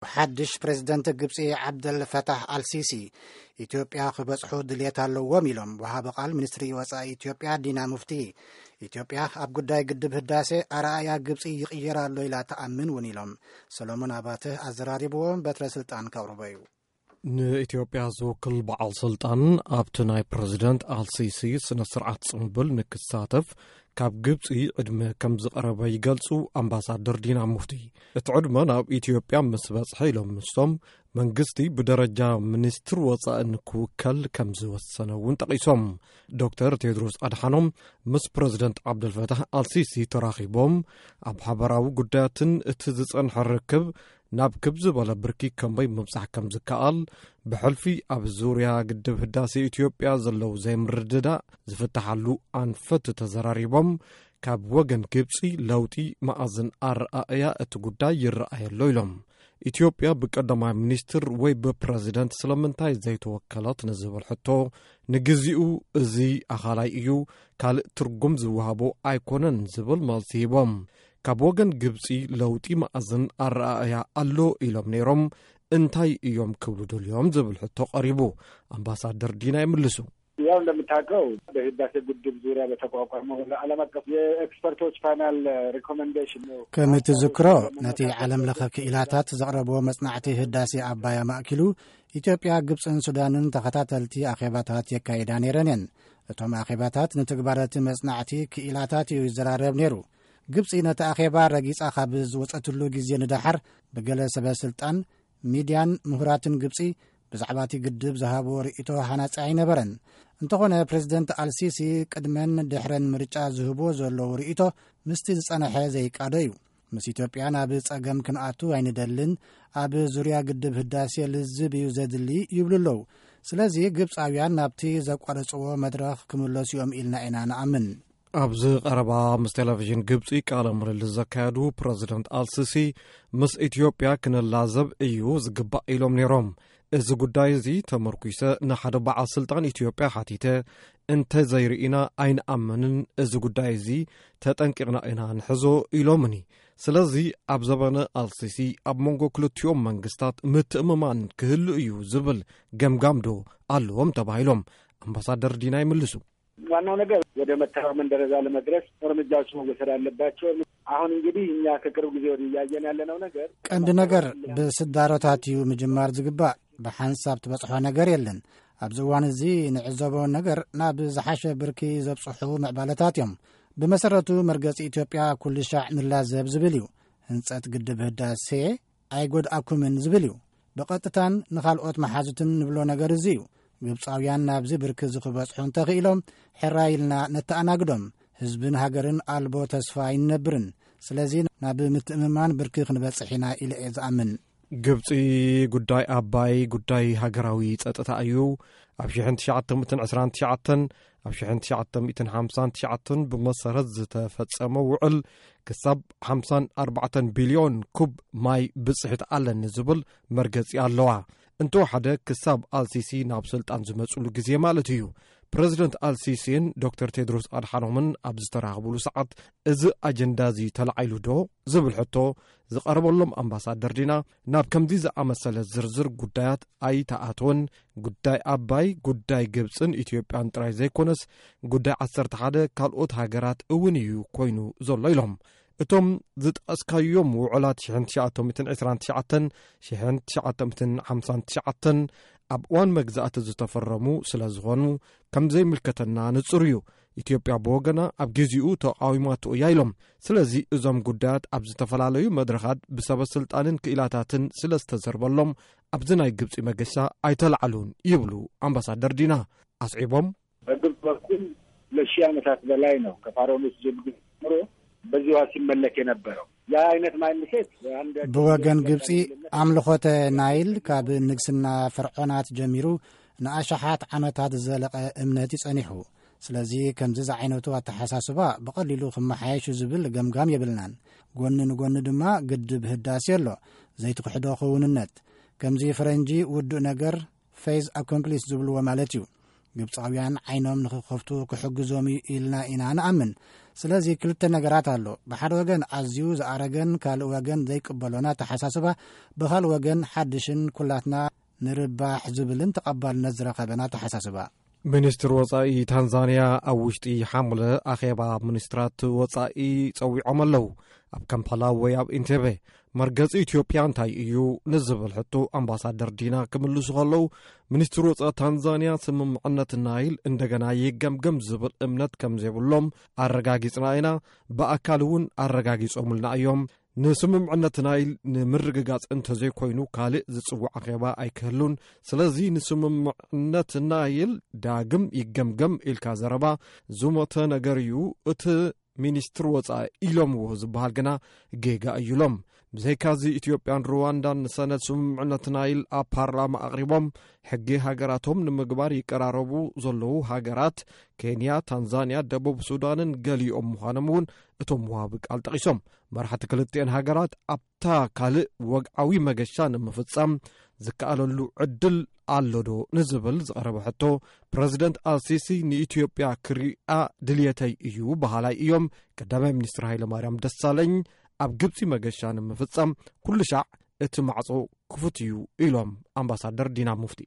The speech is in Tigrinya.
ሓድሽ ፕሬዝደንት ግብፂ ዓብደል ፈታሕ ኣልሲሲ ኢትዮጵያ ክበፅሑ ድልየት ኣለዎም ኢሎም ወሃቢ ቃል ሚኒስትሪ ወፃኢ ኢትዮጵያ ዲና ሙፍቲ። ኢትዮጵያ ኣብ ጉዳይ ግድብ ህዳሴ ኣረኣያ ግብፂ ይቕየር ኣሎ ኢላ ትኣምን እውን ኢሎም። ሰሎሞን ኣባተ ኣዘራሪብዎም በትረ ስልጣን ከቕርቦ እዩ። ንኢትዮጵያ ዝውክል በዓል ስልጣን ኣብቲ ናይ ፕረዚደንት ኣልሲሲ ስነ ስርዓት ጽምብል ንክሳተፍ ካብ ግብጺ ዕድመ ከም ዝቐረበ ይገልጹ ኣምባሳደር ዲና ሙፍቲ። እቲ ዕድመ ናብ ኢትዮጵያ ምስ በጽሐ ኢሎም ምስቶም መንግስቲ ብደረጃ ሚኒስትር ወጻኢ ንክውከል ከም ዝወሰነ እውን ጠቒሶም። ዶክተር ቴድሮስ ኣድሓኖም ምስ ፕረዚደንት ዓብደልፈታሕ ኣልሲሲ ተራኺቦም ኣብ ሓበራዊ ጉዳያትን እቲ ዝጸንሐ ርክብ ናብ ክብ ዝበለ ብርኪ ከመይ ምብጻሕ ከም ዝከኣል ብሕልፊ ኣብ ዙርያ ግድብ ህዳሴ ኢትዮጵያ ዘለዉ ዘይምርድዳእ ዝፍትሓሉ ኣንፈት ተዘራሪቦም፣ ካብ ወገን ግብጺ ለውጢ መኣዝን ኣረኣእያ እቲ ጉዳይ ይረኣየሎ ኢሎም። ኢትዮጵያ ብቀዳማይ ሚኒስትር ወይ ብፕረዚደንት ስለምንታይ ዘይተወከለት ንዝብል ሕቶ፣ ንግዚኡ እዚ ኣኻላይ እዩ፣ ካልእ ትርጉም ዝወሃቦ ኣይኮነን ዝብል መልሲ ሂቦም። ካብ ወገን ግብጺ ለውጢ መኣዝን ኣረኣእያ ኣሎ ኢሎም ነይሮም፣ እንታይ እዮም ክብሉ ደልዮም ዝብል ሕቶ ቀሪቡ። ኣምባሳደር ዲና ይምልሱ። ያው እንደምታውቀው በህዳሴ ግድብ ዙሪያ በተቋቋመው ለዓለም አቀፍ የኤክስፐርቶች ፓናል ሪኮመንዴሽን ነው። ከም እትዝክሮ፣ ነቲ ዓለም ለኸ ክኢላታት ዘቕረብዎ መጽናዕቲ ህዳሴ ኣባይ ኣማእኪሉ ኢትዮጵያ፣ ግብጽን ሱዳንን ተኸታተልቲ ኣኼባታት የካይዳ ነይረን እየን። እቶም ኣኼባታት ንትግባረቲ መጽናዕቲ ክኢላታት እዩ ይዘራረብ ነይሩ። ግብጺ ነቲ ኣኼባ ረጊጻ ካብ ዝወጸትሉ ግዜ ንደሓር ብገለ ሰበ ስልጣን፣ ሚድያን ምሁራትን ግብጺ ብዛዕባ እቲ ግድብ ዝሃብዎ ርእይቶ ሃናጺ ኣይነበረን። እንተኾነ ፕሬዝደንት ኣልሲሲ ቅድመን ድሕረን ምርጫ ዝህብዎ ዘለዉ ርእይቶ ምስቲ ዝጸንሐ ዘይቃዶ እዩ። ምስ ኢትዮጵያ ናብ ጸገም ክንኣቱ ኣይንደልን፣ ኣብ ዙርያ ግድብ ህዳሴ ልዝብ እዩ ዘድሊ ይብሉ ኣለዉ። ስለዚ ግብጻውያን ናብቲ ዘቋረጽዎ መድረኽ ክምለሱ እዮም ኢልና ኢና ንኣምን። ኣብዚ ቀረባ ምስ ቴሌቪዥን ግብጺ ቃለ ምልልስ ዘካየዱ ፕረዚደንት ኣልሲሲ፣ ምስ ኢትዮጵያ ክንላዘብ እዩ ዝግባእ ኢሎም ነይሮም። እዚ ጉዳይ እዚ ተመርኩሰ ንሓደ በዓል ስልጣን ኢትዮጵያ ሓቲተ፣ እንተ ዘይርኢና ኣይንኣምንን፣ እዚ ጉዳይ እዚ ተጠንቂቕና ኢና ንሕዞ ኢሎምኒ። ስለዚ ኣብ ዘበነ ኣልሲሲ ኣብ መንጎ ክልቲኦም መንግስታት ምትእምማን ክህሉ እዩ ዝብል ገምጋም ዶ ኣለዎም ተባሂሎም ኣምባሳደር ዲና ይምልሱ። ዋናው ነገር ወደ መተማመን ደረጃ ለመድረስ እርምጃዎች መወሰድ አለባቸው። አሁን እንግዲህ እኛ ከቅርብ ጊዜ ወዲህ እያየን ያለነው ነገር ቀንዲ ነገር ብስዳሮታት እዩ ምጅማር ዝግባእ። ብሓንሳብ ትበጽሖ ነገር የለን። ኣብዚ እዋን እዚ ንዕዘቦ ነገር ናብ ዝሓሸ ብርኪ ዘብጽሑ ምዕባለታት እዮም። ብመሰረቱ መርገጺ ኢትዮጵያ ኩሉ ሻዕ ንላዘብ ዝብል እዩ። ህንጸት ግድብ ህዳሴ ኣይጎድኣኩምን ዝብል እዩ። ብቐጥታን ንኻልኦት መሓዙትን ንብሎ ነገር እዚ እዩ። ግብጻውያን ናብዚ ብርኪ እዚ ክበጽሑ እንተኽኢሎም፣ ሕራይ ኢልና ነተኣናግዶም። ህዝብን ሃገርን ኣልቦ ተስፋ ኣይንነብርን። ስለዚ ናብ ምትእምማን ብርኪ ክንበጽሕ ኢና ኢለ እየ ዝኣምን። ግብጺ፣ ጉዳይ ኣባይ ጉዳይ ሃገራዊ ጸጥታ እዩ። ኣብ ሽሕን ትሽዓተ ሚእትን ዕስራን ትሽዓተን፣ ኣብ ሽሕን ትሽዓተ ሚእትን ሓምሳን ትሽዓተን ብመሰረት ዝተፈጸመ ውዕል ክሳብ ሓምሳን ኣርባዕተን ቢልዮን ኩብ ማይ ብጽሕት ኣለኒ ዝብል መርገጺ ኣለዋ። እንተወሓደ ክሳብ ኣልሲሲ ናብ ስልጣን ዝመጽሉ ግዜ ማለት እዩ። ፕረዚደንት ኣልሲሲን ዶክተር ቴድሮስ ኣድሓኖምን ኣብ ዝተራኸብሉ ሰዓት እዚ ኣጀንዳ እዚ ተላዒሉ ዶ ዝብል ሕቶ ዝቐረበሎም ኣምባሳደር ዲና፣ ናብ ከምዚ ዝኣመሰለ ዝርዝር ጉዳያት ኣይተኣትወን። ጉዳይ ኣባይ፣ ጉዳይ ግብጽን ኢትዮጵያን ጥራይ ዘይኮነስ፣ ጉዳይ ዓሰርተ ሓደ ካልኦት ሃገራት እውን እዩ ኮይኑ ዘሎ ኢሎም። እቶም ዝጠቐስካዮም ውዕላት ሽሕን ትሽዓተ ሚእትን ዕስራን ትሽዓተን፣ ሽሕን ትሽዓተ ሚእትን ሓምሳን ትሽዓተን ኣብ እዋን መግዛእቲ ዝተፈረሙ ስለ ዝኾኑ፣ ከም ዘይምልከተና ንጹር እዩ። ኢትዮጵያ ብወገና ኣብ ግዜኡ ተቓዊማቶ እያ ኢሎም። ስለዚ እዞም ጉዳያት ኣብ ዝተፈላለዩ መድረኻት ብሰበ ስልጣንን ክኢላታትን ስለ ዝተዘርበሎም ኣብዚ ናይ ግብጺ መገሻ ኣይተላዕሉን ይብሉ ኣምባሳደር ዲና። ኣስዒቦም፣ በግብጽ በኩል ለሺህ ዓመታት በላይ ነው ከፋሮኖስ ጀምሮ በዚህ ውሃ ሲመለክ የነበረው። ያ አይነት ማይንድሴት አንድ ብወገን ግብጺ ኣምልኾተ ናይል ካብ ንግስና ፈርዖናት ጀሚሩ ንኣሽሓት ዓመታት ዝዘለቐ እምነት እዩ ጸኒሑ። ስለዚ ከምዚ ዝዓይነቱ ኣተሓሳስባ ብቐሊሉ ክመሓየሽ እዩ ዝብል ገምጋም የብልናን። ጎኒ ንጎኒ ድማ ግድብ ህዳሴ ኣሎ፣ ዘይትክሕዶ ክውንነት። ከምዚ ፈረንጂ ውዱእ ነገር ፌዝ ኣኮምፕሊስ ዝብልዎ ማለት እዩ። ግብጻውያን ዓይኖም ንኽኸፍቱ ክሕግዞም እዩ ኢልና ኢና ንኣምን። ስለዚ ክልተ ነገራት ኣሎ። ብሓደ ወገን ኣዝዩ ዝኣረገን ካልእ ወገን ዘይቅበሎን ኣተሓሳስባ፣ ብኻልእ ወገን ሓድሽን ኩላትና ንርባሕ ዝብልን ተቐባልነት ዝረኸበን ኣተሓሳስባ። ሚኒስትር ወጻኢ ታንዛንያ ኣብ ውሽጢ ሓሙለ ኣኼባ ሚኒስትራት ወጻኢ ጸዊዖም ኣለዉ። ኣብ ካምፓላ ወይ ኣብ ኢንቴቤ መርገጺ ኢትዮጵያ እንታይ እዩ ንዝብል ሕቶ ኣምባሳደር ዲና ክምልሱ ከለዉ፣ ሚኒስትር ወጻኢ ታንዛንያ ስምምዕነት ናይል እንደገና ይገምገም ዝብል እምነት ከም ዘይብሎም ኣረጋጊጽና ኢና፣ ብኣካል እውን ኣረጋጊጾምልና እዮም። ንስምምዕነት ናይል ንምርግጋጽ እንተዘይኮይኑ ካልእ ዝጽዋዕ ኣኼባ ኣይክህሉን። ስለዚ ንስምምዕነት ናይል ዳግም ይገምገም ኢልካ ዘረባ ዝሞተ ነገር እዩ። እቲ ሚኒስትር ወጻኢ ኢሎምዎ ዝበሃል ግና ጌጋ እዩ ኢሎም። ብዘይካዚ ኢትዮጵያን ሩዋንዳን ንሰነድ ስምምዕነት ናይል ኣብ ፓርላማ ኣቕሪቦም ሕጊ ሃገራቶም ንምግባር ይቀራረቡ ዘለዉ ሃገራት ኬንያ፣ ታንዛንያ፣ ደቡብ ሱዳንን ገሊኦም ምዃኖም እውን እቶም ወሃቢ ቃል ጠቒሶም። መራሕቲ ክልቲኤን ሃገራት ኣብታ ካልእ ወግዓዊ መገሻ ንምፍጻም ዝከኣለሉ ዕድል ኣሎዶ ንዝብል ዝቐረበ ሕቶ፣ ፕረዚደንት ኣልሲሲ ንኢትዮጵያ ክሪኣ ድልየተይ እዩ በሃላይ እዮም። ቀዳማይ ሚኒስትር ሃይለማርያም ደሳለኝ ኣብ ግብጺ መገሻ ንምፍጻም ኩሉ ሻዕ እቲ ማዕጾ ክፉት እዩ ኢሎም ኣምባሳደር ዲና ሙፍቲ።